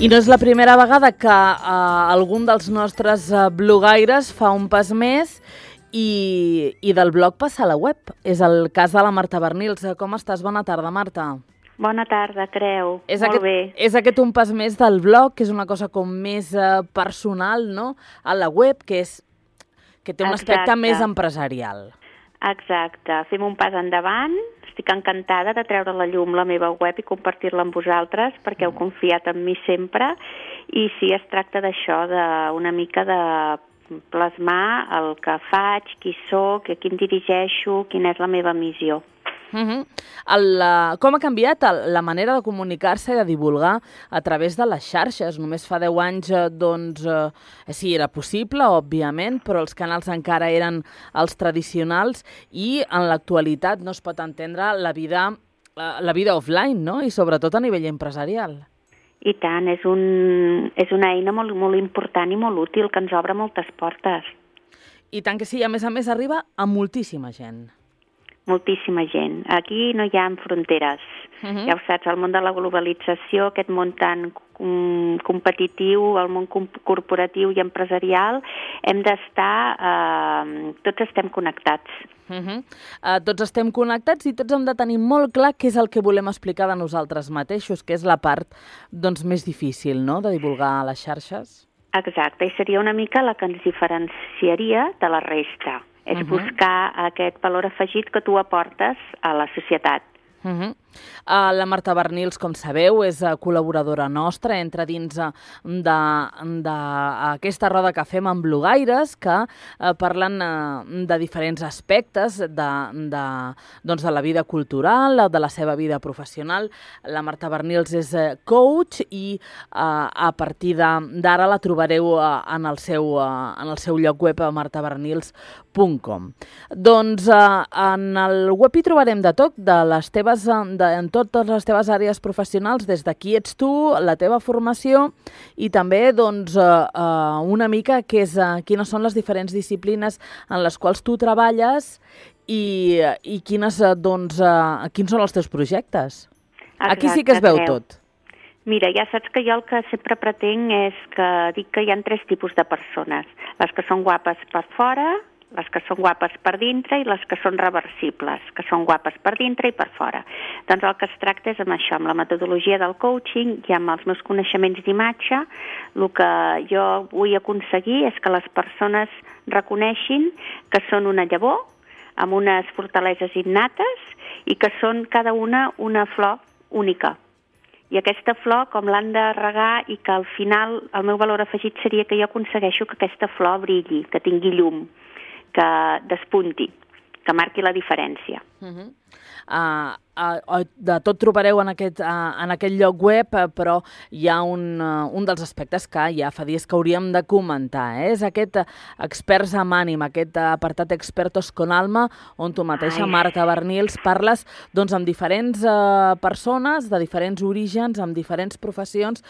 I no és la primera vegada que algun dels nostres blogaires fa un pas més i del blog passa a la web. És el cas de la Marta Bernils. Com estàs? Bona tarda, Marta. Bona tarda, Creu. Molt bé. És aquest un pas més del blog, que és una cosa com més personal, no?, a la web, que té un aspecte més empresarial. Exacte. Fem un pas endavant. Estic encantada de treure a la llum la meva web i compartir-la amb vosaltres, perquè heu confiat en mi sempre. I sí, es tracta d'això, d'una mica de plasmar el que faig, qui soc, a qui em dirigeixo, quina és la meva missió. Com ha canviat la manera de comunicar-se i de divulgar a través de les xarxes? Només fa 10 anys, doncs, sí, era possible, òbviament, però els canals encara eren els tradicionals i en l'actualitat no es pot entendre la vida offline, no?, i sobretot a nivell empresarial. I tant, és una eina molt, molt important i molt útil que ens obre moltes portes. I tant que sí, a més arriba a moltíssima gent. Moltíssima gent. Aquí no hi ha fronteres. Ja ho saps, el món de la globalització, aquest món tan competitiu, el món corporatiu i empresarial, hem d'estar... tots estem connectats. Tots estem connectats i tots hem de tenir molt clar què és el que volem explicar de nosaltres mateixos, que és la part doncs, més difícil, no?, de divulgar a les xarxes. Exacte, i seria una mica la que ens diferenciaria de la resta. És buscar aquest valor afegit que tu aportes a la societat. La Marta Bernils, com sabeu, és col·laboradora nostra, entra dins d'aquesta roda que fem amb blogaires que parlen de diferents aspectes de la vida cultural, de la seva vida professional. La Marta Bernils és coach i a partir d'ara la trobareu en el seu lloc web a martabernils.com. Doncs en el web hi trobarem de tot, en totes les teves àrees professionals, des de qui ets tu, la teva formació i també doncs, una mica quines són les diferents disciplines en les quals tu treballes i quins són els teus projectes. Exacte, aquí sí que es veu tot. Mira, ja saps que jo el que sempre pretenc és que dic que hi ha 3 tipus de persones. Les que són guapes per fora, les que són guapes per dintre i les que són reversibles, que són guapes per dintre i per fora. Doncs el que es tracta és amb això, amb la metodologia del coaching i amb els meus coneixements d'imatge. El que jo vull aconseguir és que les persones reconeixin que són una llavor amb unes fortaleses innates i que són cada una flor única. I aquesta flor, com l'han de regar i que al final el meu valor afegit seria que jo aconsegueixo que aquesta flor brilli, que tingui llum, que despunti, que marqui la diferència. De tot trobareu en aquest lloc web, però hi ha un dels aspectes que ja fa dies que hauríem de comentar. És aquest Experts amb ànima, aquest apartat Expertos con alma, on tu mateixa, Marta Bernils, parles amb diferents persones de diferents orígens, amb diferents professions,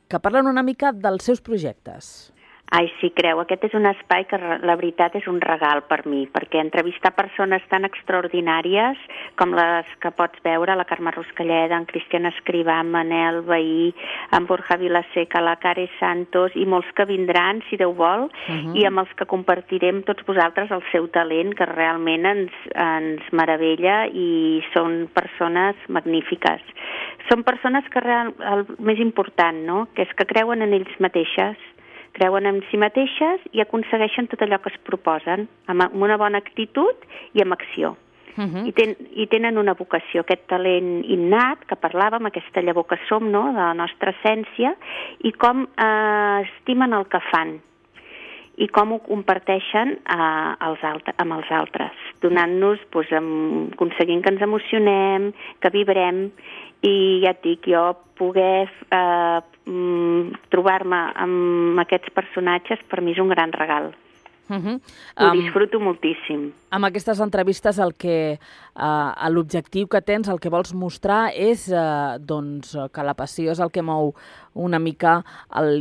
que parlen una mica dels seus projectes. Ai, sí, Creu, aquest és un espai que la veritat és un regal per mi, perquè entrevistar persones tan extraordinàries com les que pots veure, la Carme Ruscalleda, en Cristian Escrivà, en Manel Bahí, en Borja Vilaseca, la Care Santos i molts que vindran, si Déu vol, i amb els que compartirem tots vosaltres el seu talent, que realment ens meravella i són persones magnífiques. Són persones que el més important, no?, que és que creuen en ells mateixes, creuen en si mateixes i aconsegueixen tot allò que es proposen, amb una bona actitud i amb acció. I tenen una vocació, aquest talent innat que parlàvem, aquesta llavor que som, no?, de la nostra essència, i com estimen el que fan i com ho comparteixen amb els altres, donant-nos, aconseguint que ens emocionem, que vibrem, i ja et dic, jo poder trobar-me amb aquests personatges per mi és un gran regal. Ho disfruto moltíssim. Amb aquestes entrevistes l'objectiu que tens, el que vols mostrar és que la passió és el que mou una mica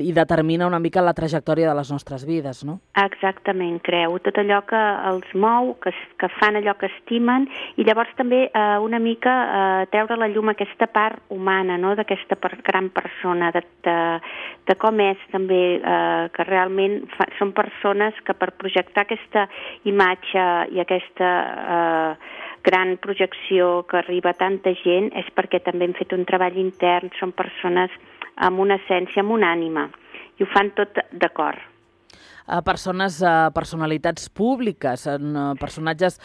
i determina una mica la trajectòria de les nostres vides, no? Exactament, creu. Tot allò que els mou, que fan allò que estimen, i llavors també una mica treure a la llum aquesta part humana, no?, d'aquesta gran persona, de com és també, que realment són persones que per projectar aquesta imatge i aquesta gran projecció que arriba a tanta gent és perquè també hem fet un treball intern, són persones amb una essència, amb una ànima, i ho fan tot d'acord. Personalitats públiques, personatges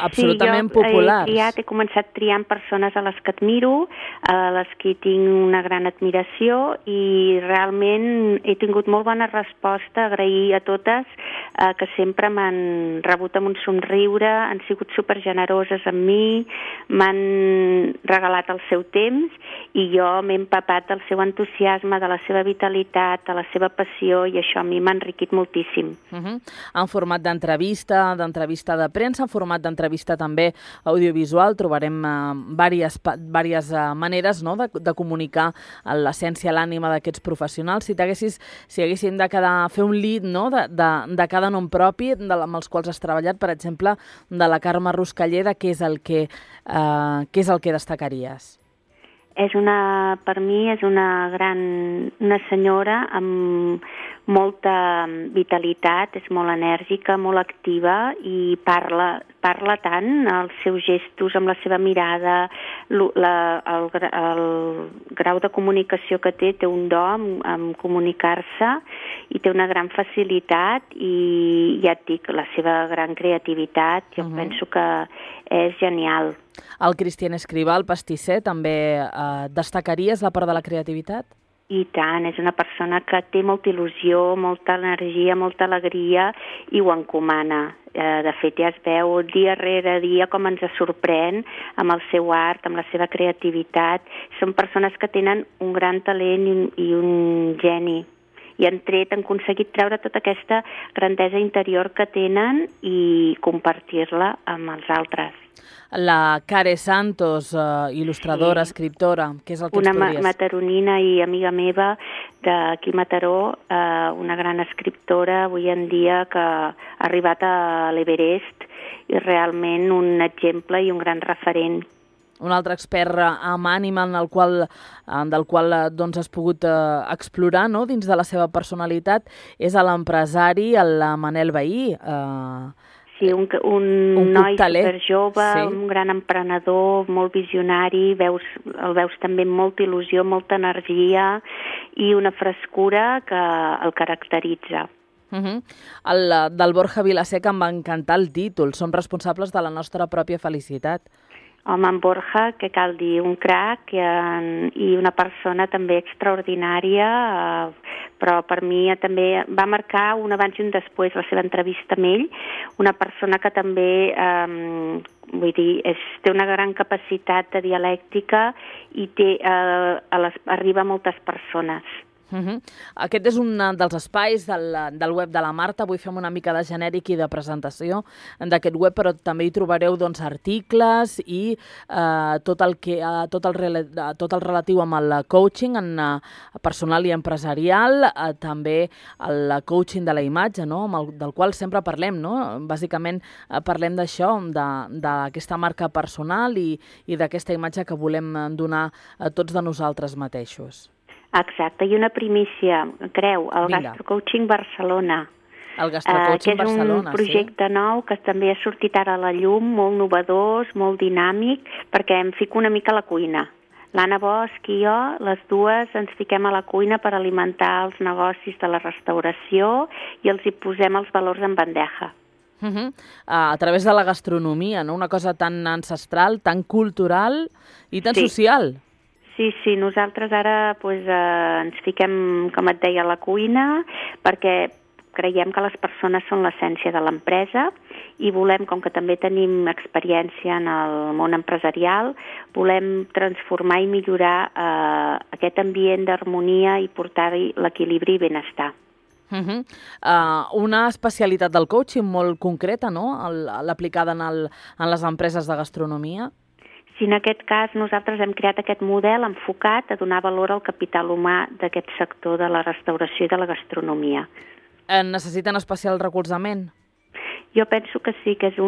absolutament populars. He començat triant persones a les que admiro, a les que tinc una gran admiració, i realment he tingut molt bona resposta, agrair a totes que sempre m'han rebut amb un somriure, han sigut supergeneroses amb mi, m'han regalat el seu temps i jo m'he empapat del seu entusiasme, de la seva vitalitat, de la seva passió, i això a mi m'ha enriquit moltíssim. En format d'entrevista de premsa, en format d'entrevista també audiovisual, trobarem diverses maneres, no?, de comunicar l'essència, l'ànima d'aquests professionals. Si haguéssim de fer un lead, no?, de cada nom propi amb els quals has treballat, per exemple, de la Carme Ruscalleda, què és el que destacaries? Per mi és una senyora amb molta vitalitat, és molt enèrgica, molt activa i parla tant, els seus gestos, amb la seva mirada, el grau de comunicació que té un do en comunicar-se, i té una gran facilitat i, ja et dic, la seva gran creativitat, jo penso que és genial. El Cristian Escrivà, el pastisser, també destacaries la part de la creativitat? I tant, és una persona que té molta il·lusió, molta energia, molta alegria, i ho encomana. De fet, ja es veu dia rere dia com ens sorprèn amb el seu art, amb la seva creativitat. Són persones que tenen un gran talent i un geni, i han aconseguit treure tota aquesta grandesa interior que tenen i compartir-la amb els altres. La Care Santos, il·lustradora, escriptora, què és el que ens podries? Una mataronina i amiga meva d'aquí Mataró, una gran escriptora avui en dia que ha arribat a l'Everest, i realment un exemple i un gran referent. Un altre expert amb ànima del qual has pogut explorar, no?, dins de la seva personalitat, és l'empresari, el Manel Vehí. Sí, un noi superjove, un gran emprenedor, molt visionari, el veus també amb molta il·lusió, molta energia i una frescura que el caracteritza. Del Borja Vilaseca em va encantar el títol, som responsables de la nostra pròpia felicitat. Home, en Borja, que cal dir, un crac i una persona també extraordinària, però per mi també va marcar un abans i un després la seva entrevista amb ell, una persona que també, té una gran capacitat de dialèctica i arriba a moltes persones. Aquest és un dels espais del web de la Marta. Avui fem una mica de genèric i de presentació d'aquest web, però també hi trobareu articles i tot el relatiu amb el coaching personal i empresarial, també el coaching de la imatge, no?, del qual sempre parlem, no? Bàsicament parlem d'això, d'aquesta marca personal i d'aquesta imatge que volem donar a tots de nosaltres mateixos. Exacte, i una primícia, creu, el Gastrocoaching Barcelona. El Gastrocoaching Barcelona, que és un projecte nou que també ha sortit ara a la llum, molt novedós, molt dinàmic, perquè em fico una mica a la cuina. L'Anna Bosch i jo, les dues, ens fiquem a la cuina per alimentar els negocis de la restauració i els hi posem els valors en bandeja. A través de la gastronomia, no? Una cosa tan ancestral, tan cultural i tan social. Sí, nosaltres ara ens fiquem, com et deia, a la cuina, perquè creiem que les persones són l'essència de l'empresa i volem, com que també tenim experiència en el món empresarial, volem transformar i millorar aquest ambient d'harmonia i portar-hi l'equilibri i benestar. Una especialitat del coaching molt concreta, no?, l'aplicada en les empreses de gastronomia. Sí, en aquest cas nosaltres hem creat aquest model enfocat a donar valor al capital humà d'aquest sector de la restauració i de la gastronomia. Necessiten especial recolzament? Jo penso que sí, que és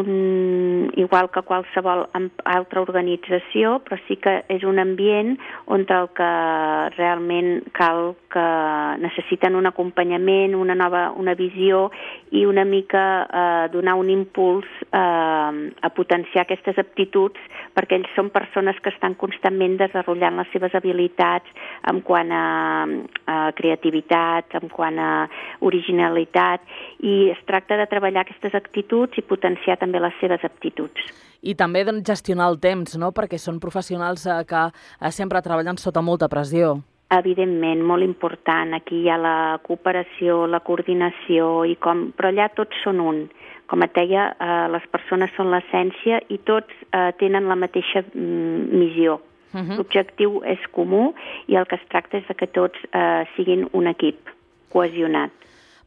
igual que qualsevol altra organització, però sí que és un ambient on el que realment cal que necessiten un acompanyament, una visió i una mica donar un impuls a potenciar aquestes aptituds, perquè ells són persones que estan constantment desenvolupant les seves habilitats en quant a creativitat, en quant a originalitat, i es tracta de treballar aquestes actituds i potenciar també les seves aptituds. I també gestionar el temps, no?, perquè són professionals que sempre treballen sota molta pressió. Evidentment, molt important. Aquí hi ha la cooperació, la coordinació, però allà tots són un. Com et deia, les persones són l'essència i tots tenen la mateixa missió. L'objectiu és comú i el que es tracta és que tots siguin un equip cohesionat.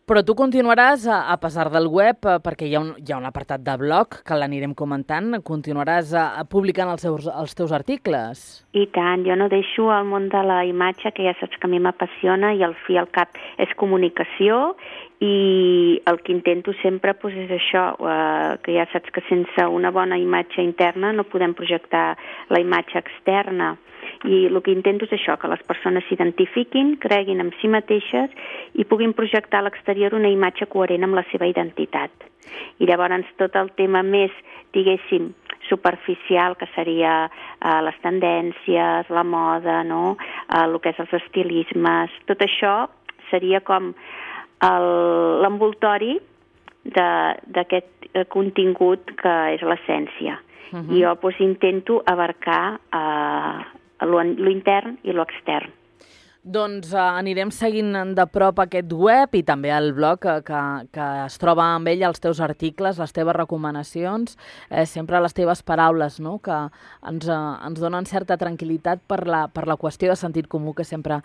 Però tu continuaràs, a pesar del web, perquè hi ha un apartat de blog que l'anirem comentant, continuaràs publicant els teus articles. I tant, jo no deixo el món de la imatge, que ja saps que a mi m'apassiona i al fi al cap és comunicació, i el que intento sempre és això, que ja saps que sense una bona imatge interna no podem projectar la imatge externa. I el que intento és això, que les persones s'identifiquin, creguin en si mateixes i puguin projectar a l'exterior una imatge coherent amb la seva identitat. I llavors tot el tema més, diguéssim, superficial, que seria les tendències, la moda, no?, el que és els estilismes, tot això seria com l'envoltori d'aquest contingut que és l'essència. I jo intento abarcar lo intern i lo extern. Doncs anirem seguint de prop aquest web i també el blog que es troba amb ell, els teus articles, les teves recomanacions, sempre les teves paraules, no?, que ens donen certa tranquil·litat per la qüestió de sentit comú que sempre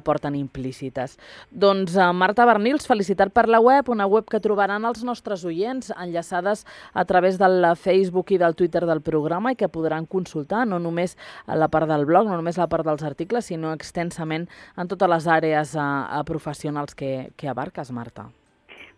porten implícites. Doncs Marta Bernils, felicitat per la web, una web que trobaran els nostres oients enllaçades a través del Facebook i del Twitter del programa i que podran consultar no només la part del blog, no només la part dels articles, sinó extensament en totes les àrees professionals que abarques, Marta.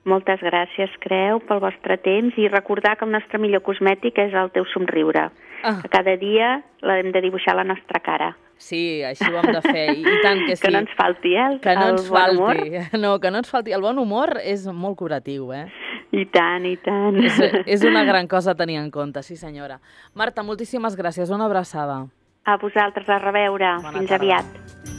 Moltes gràcies, Creu, pel vostre temps i recordar que el nostre millor cosmètic és el teu somriure. Que cada dia l'hem de dibuixar a la nostra cara. Sí, així ho hem de fer, i tant que sí. Que no ens falti, que no ens falti. No, que no ens falti. El bon humor és molt curatiu, I tant, i tant. És una gran cosa a tenir en compte, sí senyora. Marta, moltíssimes gràcies, una abraçada. A vosaltres, a reveure. Fins aviat.